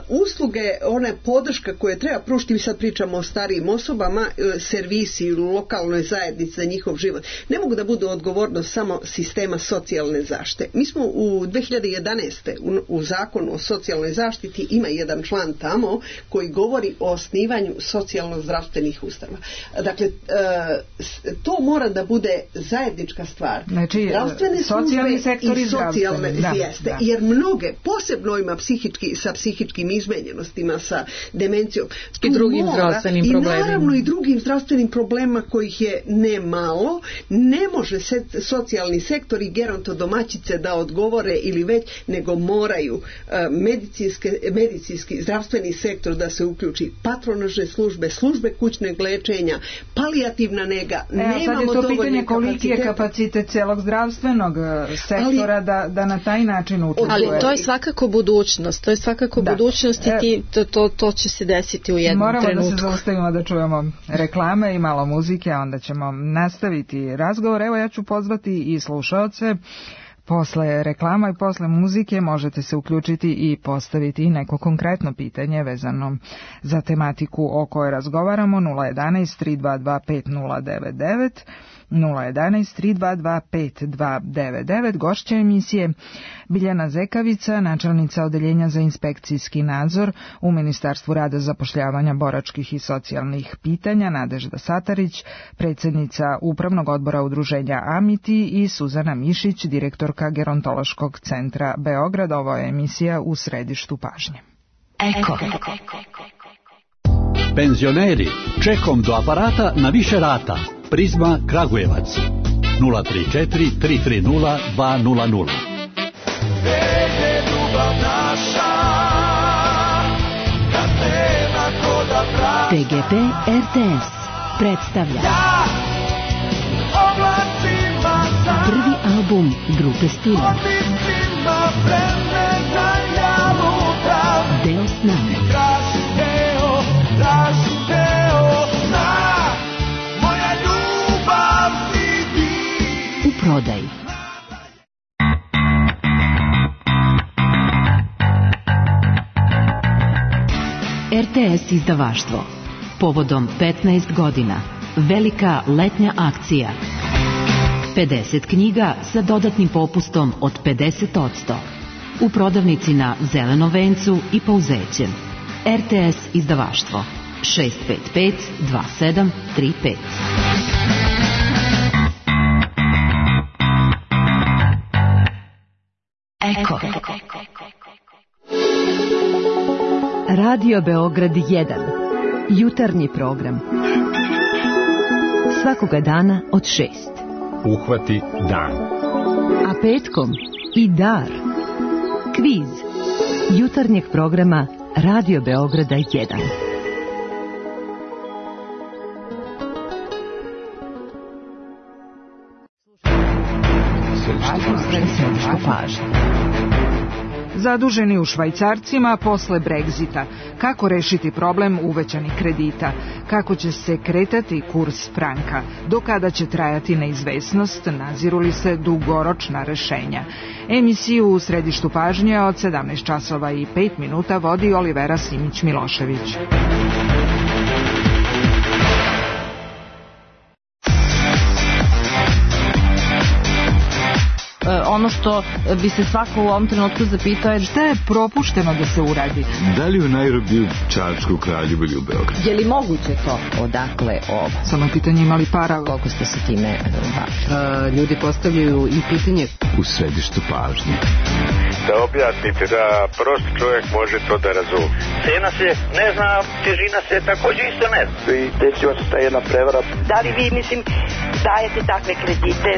Usluge, ona podrška koje treba pružiti, mi sad pričamo o starijim osobama, servisi u lokalnoj zajednici za njihov život, ne mogu da budu odgovornost samo sistema socijalne zaštite. Mi smo u 2011. u zakonu o socijalnoj zaštiti ima jedan član tamo koji govori o osnivanju socijalno-zdravstvenih ustanova. Dakle, to mora da bude zajednička stvar. Znači, zdravstvene socijalni sektor i socijalne jeste. Jer mnoge, posebno ima sa psihičkim izmenjenostima, sa demencijom i drugim zdravstvenim problemima. I naravno i drugim zdravstvenim problemima kojih je ne malo, ne može socijalni sektor i gerontodomaćice da odgovore ili već, nego moraju medicinski zdravstveni sektor da se uključi, patronažne službe kućnog lečenja, palijativna nega. Nemamo sad je to pitanje koliki je kapacitet celog zdravstvenog sektora da na taj način učinuje. Ali to je svakako budućnost, budućnost i to će se desiti u jednom trenutku. Moramo da se zaustavimo da čujemo reklame i malo muzike, a onda ćemo nastaviti razgovor. Evo, ja ću pozvati i slušaoce. Posle reklama i posle muzike možete se uključiti i postaviti i neko konkretno pitanje vezano za tematiku o kojoj razgovaramo. 011 322 5099 011 322 5299. Gošća emisije Biljana Zekavica, načelnica Odeljenja za inspekcijski nadzor u Ministarstvu rada, zapošljavanja, boračkih i socijalnih pitanja, Nadežda Satarić, predsjednica Upravnog odbora udruženja Amiti, i Suzana Mišić, direktorka Gerontološkog centra Beograd. Ovo je emisija U središtu pažnje. Eko. Penzioneri, čekom do aparata na više rata. Prizma Kragujevac 034 330 200. TGP RTS predstavlja prvi album grupe Stila Deo sna. U prodaji. RTS izdavaštvo. Povodom 15 godina. Velika letnja akcija. 50 knjiga sa dodatnim popustom od 50%. U prodavnici na Zelenom vencu i Pauzećem. RTS izdavaštvo. 655 2735. Eko. Radio Beograd 1. Jutarnji program. Svakoga dana od 6. Uhvati dan. A petkom i dar. Kviz. Jutarnjeg programa Radio Beograda 1. Zaduženi u švajcarcima posle Brexita. Kako rešiti problem uvećanih kredita? Kako će se kretati kurs franka? Do kada će trajati neizvesnost? Naziru li se dugoročna rešenja? Emisiju u središtu pažnje od 17 časova i 5 minuta vodi Olivera Simić-Milošević. Ono što bi se svako u ovom trenutku zapitao je šta je propušteno da se uradi. Da li u Nairobiju, Čačku, Kraljevu ili u Beogradu? Je li moguće to? Odakle ovo? Samo pitanje imali para. Koliko ste se time bavili? Ljudi postavljaju i pitanje u središtu pažnje. Da objasnite da prost čovjek može to da razumije. Cena se ne zna, težina se također isto ne zna. I desila se ta jedna prevara. Da li vi, dajete takve kredite?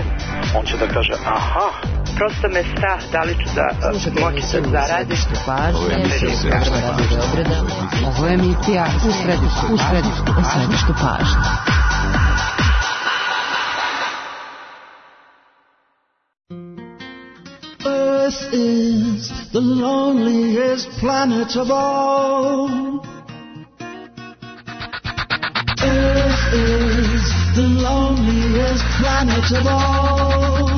On će da kaže, aha, prosto me strah da li ću da moći da zaradim. Ovo je emisija u središtu pažnje. Earth is the loneliest planet of all. Earth is the loneliest planet of all.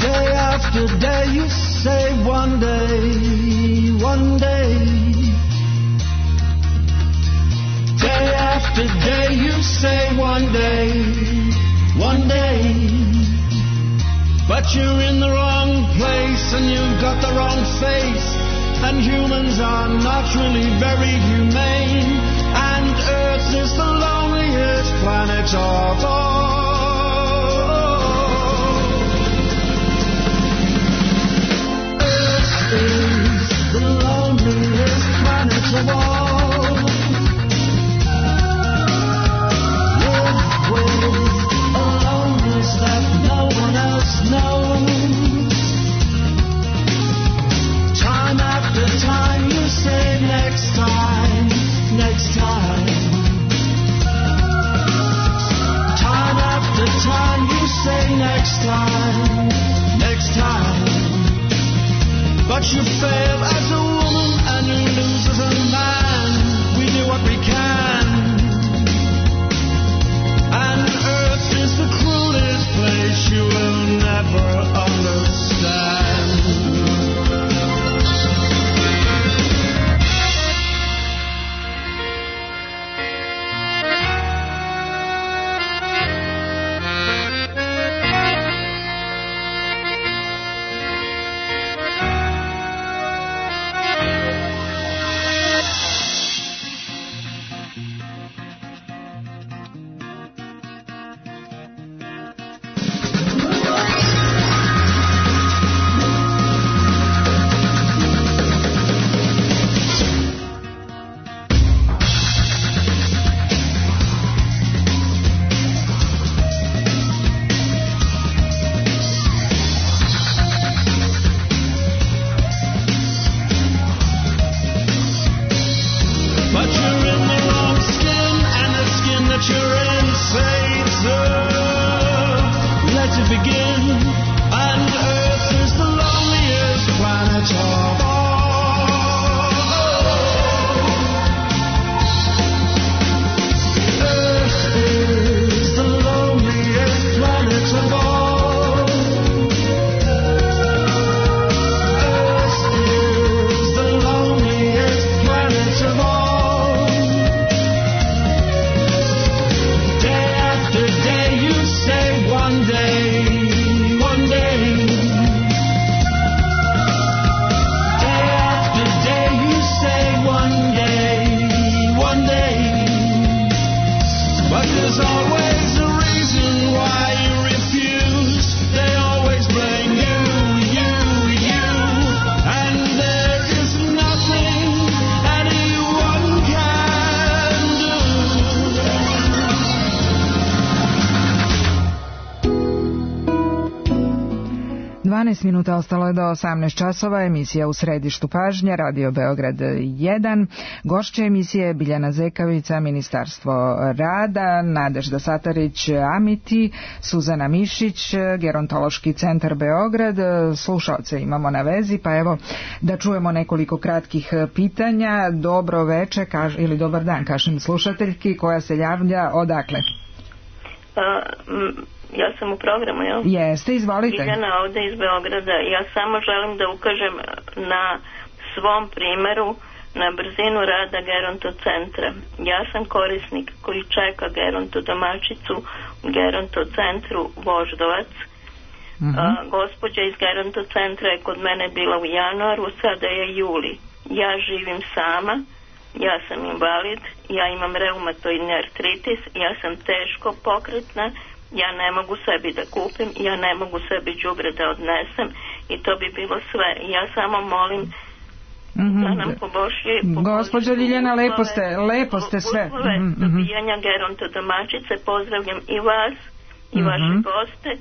Day after day you say one day. Day after day you say one day. But you're in the wrong place and you've got the wrong face. And humans are not really very humane. And Earth is the loneliest planet of all. Earth is the loneliest planet of all. Live with a loneliness that no one else knows. Time after time you say next time. Time after time you say next time. But you fail as a woman and you lose as a man. We do what we can. And Earth is the cruelest place you will never understand. 12 minuta ostalo je do 18 časova, emisija U središtu pažnje, Radio Beograd 1. Gošća emisije je Biljana Zekavica, Ministarstvo rada, Nadežda Satarić, Amiti, Suzana Mišić, Gerontološki centar Beograd. Slušalce imamo na vezi, pa evo da čujemo nekoliko kratkih pitanja. Dobro veče ili dobar dan, kažem slušateljki koja se javlja odakle? Ja sam u programu, jel? Jeste, izvolite. Biljana ovde iz Beograda. Ja samo želim da ukažem na svom primeru na brzinu rada gerontocentra. Ja sam korisnik koji čeka gerontodomaćicu u gerontocentru Voždovac. Gospođa iz gerontocentra je kod mene bila u januaru, sada je juli. Ja živim sama, ja sam invalid, ja imam reumatoidni artritis, ja sam teško pokretna, ja ne mogu sebi da kupim, ja ne mogu sebi đubre da odnesem i to bi bilo sve. Ja samo molim da nam poboljši gospođo Ljiljana, lepo ste sve uslove dobijanja gerontodomaćice. Pozdravljam i vas i vaše goste.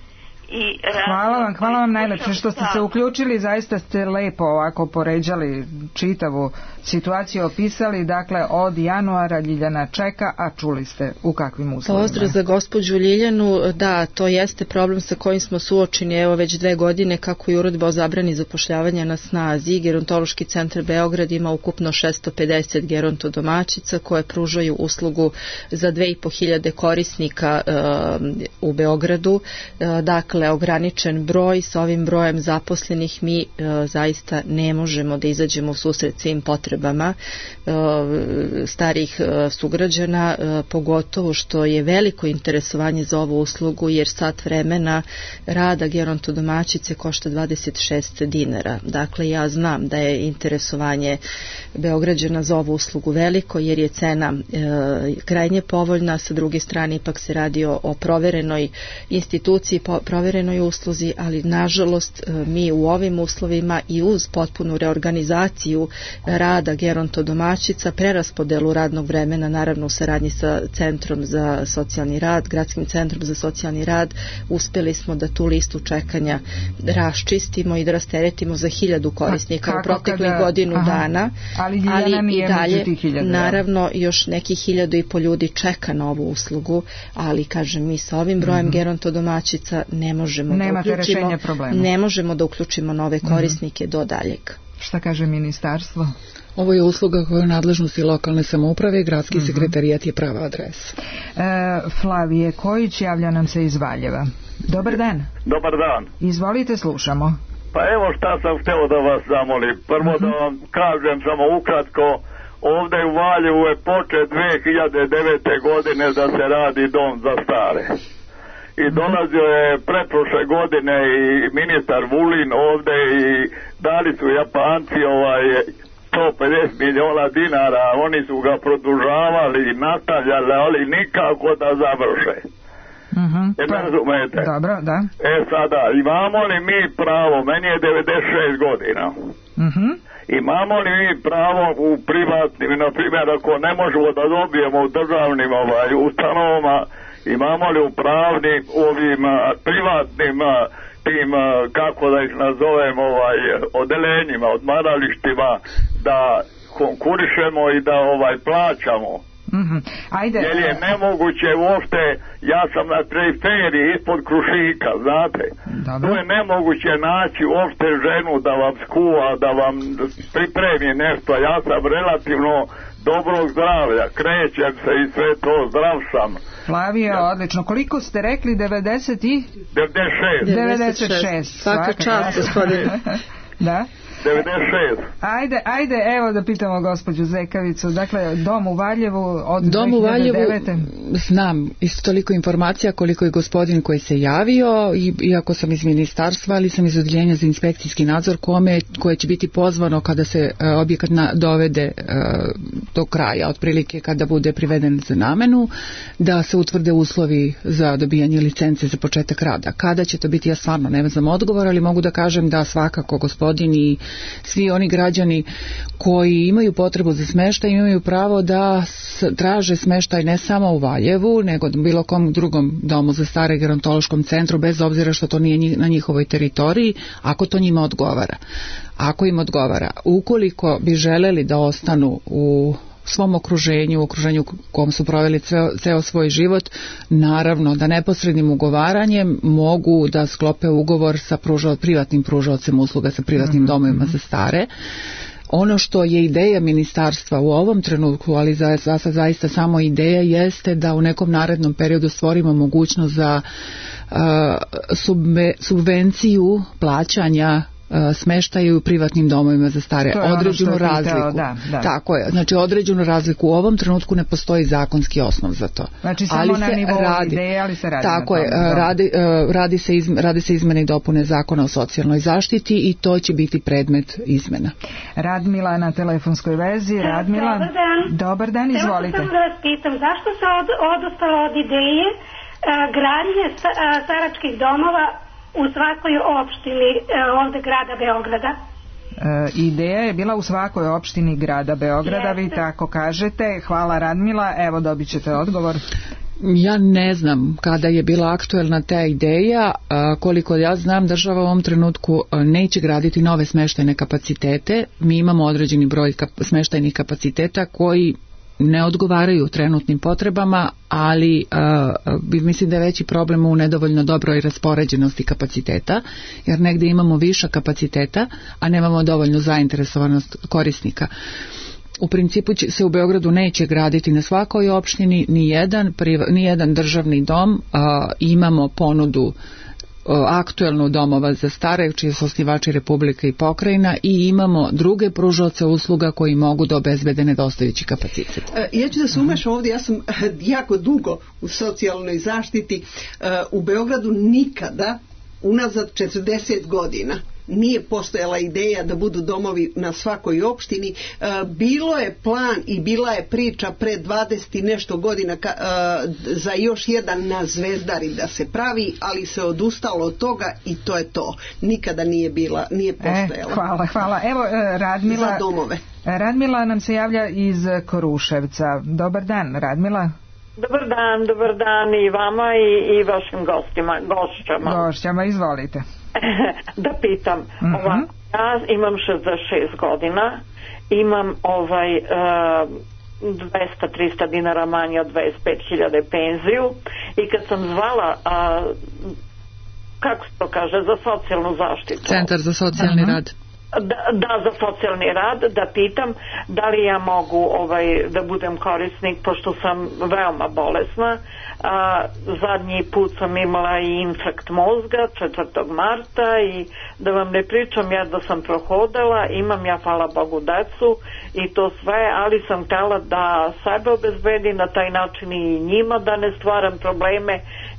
Hvala vam najlepše što ste se uključili, zaista ste lepo ovako poređali čitavu situaciju, opisali, dakle od januara Ljiljana čeka, a čuli ste u kakvim uslovima. Pozdrav za gospođu Ljiljanu, da, to jeste problem sa kojim smo suočeni evo već 2 godine kako je uredba o zabrani zapošljavanja na snazi. Gerontološki centar Beograd ima ukupno 650 gerontodomaćica koje pružaju uslugu za 2500 korisnika u Beogradu, dakle ograničen broj, sa ovim brojem zaposlenih mi zaista ne možemo da izađemo u susret svim potrebama starih sugrađana, pogotovo što je veliko interesovanje za ovu uslugu jer sat vremena rada gerontodomaćice košta 26 dinara. Dakle, ja znam da je interesovanje Beograđana za ovu uslugu veliko jer je cena krajnje povoljna, sa druge strane ipak se radi o proverenoj instituciji, proverenoj usluzi, ali nažalost mi u ovim uslovima i uz potpunu reorganizaciju rada gerontodomaćica, preraspodelu radnog vremena, naravno u saradnji sa Centrom za socijalni rad, Gradskim centrom za socijalni rad, uspeli smo da tu listu čekanja raščistimo i da rasteretimo za 1000 korisnika u proteklih godinu dana, ali i dalje naravno još nekih 1500 ljudi čeka na ovu uslugu, ali kažem mi sa ovim brojem gerontodomaćica ne možemo ne možemo da uključimo nove korisnike do daljeg. Šta kaže ministarstvo? Ovo je usluga koja je u nadležnosti lokalne samouprave i gradski sekretarijat je prava adresa. Flavije Kojić javlja nam se iz Valjeva. Dobar dan. Dobar dan. Izvolite, slušamo. Pa evo šta sam hteo da vas zamolim. Prvo da vam kažem samo ukratko, ovde u Valjevu je počet 2009. godine da se radi dom za stare. I dolazio je pretprošle godine i ministar Vulin ovde i dali su Japanci 150 miliona dinara, oni su ga produžavali i nastavljali, ali nikako da završe. Ne razumete? Dobro, da. Sada, imamo li mi pravo, meni je 96 godina, imamo li mi pravo u privatnim, na primjer ako ne možemo da dobijemo u državnim ustanovama, imamo li u pravnim ovim privatnim tim, kako da ih nazovem, odelenjima, odmaralištima, da konkurišemo i da plaćamo. Ajde. Jer je nemoguće uopšte, ja sam na periferiji ispod Krušika, znate. Dobro. To je nemoguće naći uopšte ženu da vam skuva, da vam pripremi nešto. Ja sam relativno dobrog zdravlja, krećem se i sve to, zdrav sam. Flavio, odlično. Koliko ste rekli? 96. 96. Svaka čast, gospodine. Da? 96. Ajde, evo da pitamo gospođu Zekavicu. Dakle, dom u Valjevu od 2009. Znam isto toliko informacija koliko je gospodin koji se javio, iako sam iz ministarstva, ali sam iz odeljenja za inspekcijski nadzor koje će biti pozvano kada se objekat dovede do kraja, otprilike kada bude priveden za namenu, da se utvrde uslovi za dobijanje licence za početak rada. Kada će to biti, ja stvarno ne znam odgovor, ali mogu da kažem da svakako gospodin i svi oni građani koji imaju potrebu za smeštaj imaju pravo da traže smeštaj ne samo u Valjevu, nego bilo kom drugom domu za stare, gerontološkom centru, bez obzira što to nije na njihovoj teritoriji, ako to njima odgovara. Ako im odgovara. Ukoliko bi želeli da ostanu u svom okruženju, u okruženju kom su proveli ceo svoj život, naravno da neposrednim ugovaranjem mogu da sklope ugovor sa privatnim pružaocem usluga, sa privatnim domovima za stare. Ono što je ideja ministarstva u ovom trenutku, ali zaista samo ideja, jeste da u nekom narednom periodu stvorimo mogućnost za subvenciju plaćanja smeštaju u privatnim domovima za stare, određenu razliku. Da. Tako je, znači određenu razliku. U ovom trenutku ne postoji zakonski osnov za to. Znači samo na nivou ideje, ali se radi. Tako je, radi se izmene i dopune Zakona o socijalnoj zaštiti i to će biti predmet izmena. Radmila na telefonskoj vezi. Radmila, dobar dan, izvolite. Samo da vas pitam, zašto se odustalo od ideje gradnje staračkih domova u svakoj opštini ovde grada Beograda? Ideja je bila u svakoj opštini grada Beograda, vi tako kažete. Hvala Radmila, evo dobit ćete odgovor. Ja ne znam kada je bila aktuelna ta ideja, koliko ja znam država u ovom trenutku neće graditi nove smeštajne kapacitete, mi imamo određeni broj smeštajnih kapaciteta koji ne odgovaraju trenutnim potrebama, ali mislim da je veći problem u nedovoljno dobroj raspoređenosti kapaciteta, jer negdje imamo viša kapaciteta, a nemamo dovoljnu zainteresovanost korisnika. U principu se u Beogradu neće graditi na svakoj opštini ni jedan državni dom, imamo ponudu aktuelnu domova za stare, čiji su osnivači Republika i pokrajina, i imamo druge pružaoce usluga koji mogu da obezbede nedostajući kapacitet. Ja ću da se umešam ovdje, ja sam jako dugo u socijalnoj zaštiti. U Beogradu nikada, unazad 40 godina, nije postojala ideja da budu domovi na svakoj opštini. Bilo je plan i bila je priča pre 20 i nešto godina za još jedan na Zvezdari da se pravi, ali se odustalo od toga i to je to. Nikada nije postojala. Hvala. Evo Radmila. Za domove. Radmila nam se javlja iz Kruševca. Dobar dan, Radmila. Dobar dan i vama i vašim gošćama, izvolite. Da pitam, ja imam 66 godina, imam 200-300 dinara manje od 25.000 penziju i kad sam zvala, kako se to kaže, za socijalnu zaštitu, Centar za socijalni rad, da za socijalni rad, da pitam da li ja mogu da budem korisnik, pošto sam veoma bolesna. Zadnji put sam imala i infarkt mozga 4. marta i da vam ne pričam, ja da sam prohodala, imam ja hvala Bogu decu i to sve, ali sam htjela da sebe obezbedi na taj način i njima da ne stvaram probleme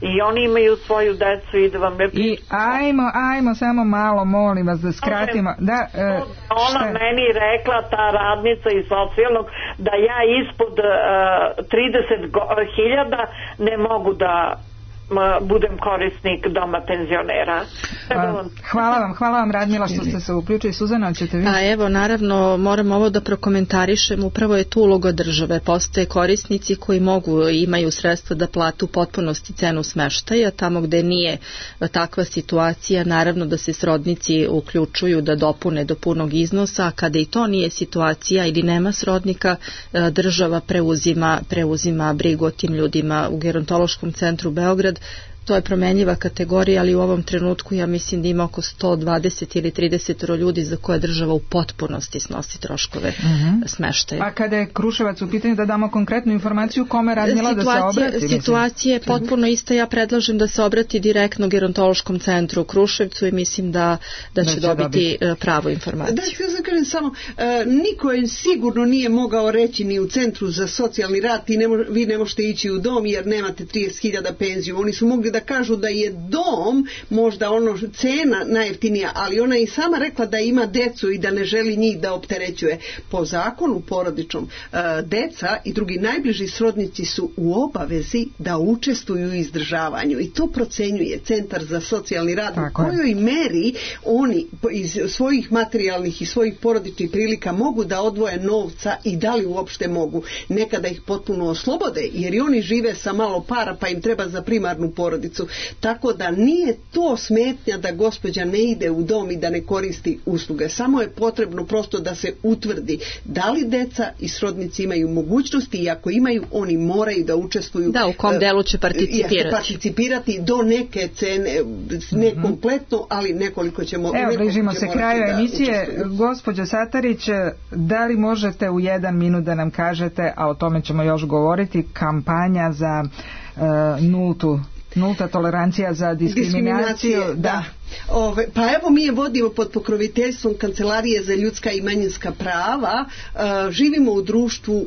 i oni imaju svoju decu i da vam ne pričam. I ajmo samo malo, molim vas da skratimo. Ona meni rekla, ta radnica iz socijalnog, da ja ispod 30.000 ne mogu da budem korisnik doma penzionera. Hvala vam Radmila što ste se uključili. Suzana, ćete vi? Evo, naravno, moram ovo da prokomentarišem, upravo je tu uloga države. Postoje korisnici koji imaju sredstva da plate u potpunosti cenu smeštaja, tamo gde nije takva situacija, naravno da se srodnici uključuju da dopune do punog iznosa, a kada i to nije situacija ili nema srodnika, država preuzima brigu o tim ljudima. U Gerontološkom centru Beograd to je promenljiva kategorija, ali u ovom trenutku ja mislim da ima oko 120 ili 30 ljudi za koje država u potpunosti snosi troškove smeštaja. A kada je Kruševac u pitanju, da damo konkretnu informaciju, kome Radmila da se obrati? Situacija je potpuno ista, ja predlažem da se obrati direktno Gerontološkom centru u Kruševcu i mislim da će dobiti pravu informaciju. Da, ja kažem samo, niko je sigurno nije mogao reći ni u Centru za socijalni rad, vi ne možete ići u dom jer nemate 30.000 penziju. Oni su mogli mogli da kažu da je dom možda ono cena najjeftinija, ali ona je i sama rekla da ima decu i da ne želi njih da opterećuje. Po zakonu porodičnom deca i drugi najbliži srodnici su u obavezi da učestvuju u izdržavanju i to procenjuje Centar za socijalni rad u kojoj meri oni iz svojih materijalnih i svojih porodičnih prilika mogu da odvoje novca i da li uopšte mogu. Nekada ih potpuno oslobode jer i oni žive sa malo para pa im treba za primarnu porodicu. Tako da nije to smetnja da gospođa ne ide u dom i da ne koristi usluge. Samo je potrebno prosto da se utvrdi da li deca i srodnici imaju mogućnosti i ako imaju, oni moraju da učestvuju. Da, u kom delu će participirati do neke cene, ne kompletno, ali nekoliko ćemo. Evo, bližimo se kraju emisije. Gospođo Satarić, da li možete u 1 minut da nam kažete, a o tome ćemo još govoriti, kampanja za nulta tolerancija za diskriminaciju. Da. Pa evo mi je vodimo pod pokroviteljstvom Kancelarije za ljudska i manjinska prava. Živimo u društvu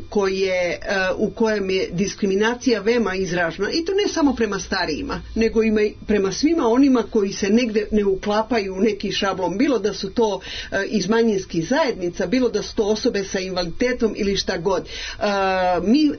u kojem je diskriminacija veoma izražena i to ne samo prema starijima, nego ima i prema svima onima koji se negde ne uklapaju u neki šablon, bilo da su to iz manjinskih zajednica, bilo da su to osobe sa invaliditetom ili šta god. Mi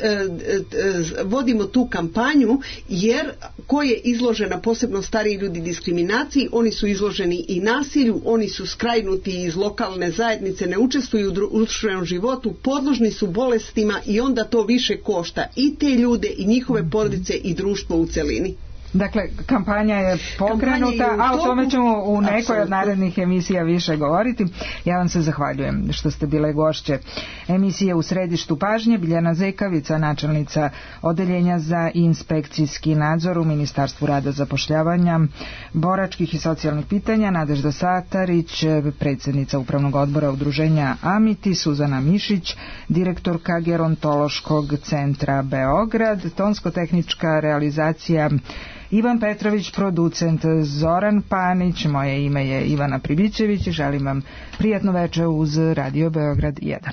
vodimo tu kampanju jer ko je izložena, posebno stariji ljudi, diskriminaciji, oni su izloženi i nasilju, oni su skrajnuti iz lokalne zajednice, ne učestvuju u društvenom životu, podložni su bolestima i onda to više košta i te ljude i njihove porodice i društvo u celini. Dakle, kampanja je pokrenuta, a o tome ćemo u nekoj od narednih emisija više govoriti. Ja vam se zahvaljujem što ste bile gošće emisije U središtu pažnje. Biljana Zekavica, načelnica Odeljenja za inspekcijski nadzor u Ministarstvu rada, zapošljavanja, boračkih i socijalnih pitanja, Nadežda Satarić, predsjednica Upravnog odbora Udruženja Amiti, Suzana Mišić, direktorka Gerontološkog centra Beograd, tonsko-tehnička realizacija Ivan Petrović, producent Zoran Panić, moje ime je Ivana Pribićević i želim vam prijatno večer uz Radio Beograd 1.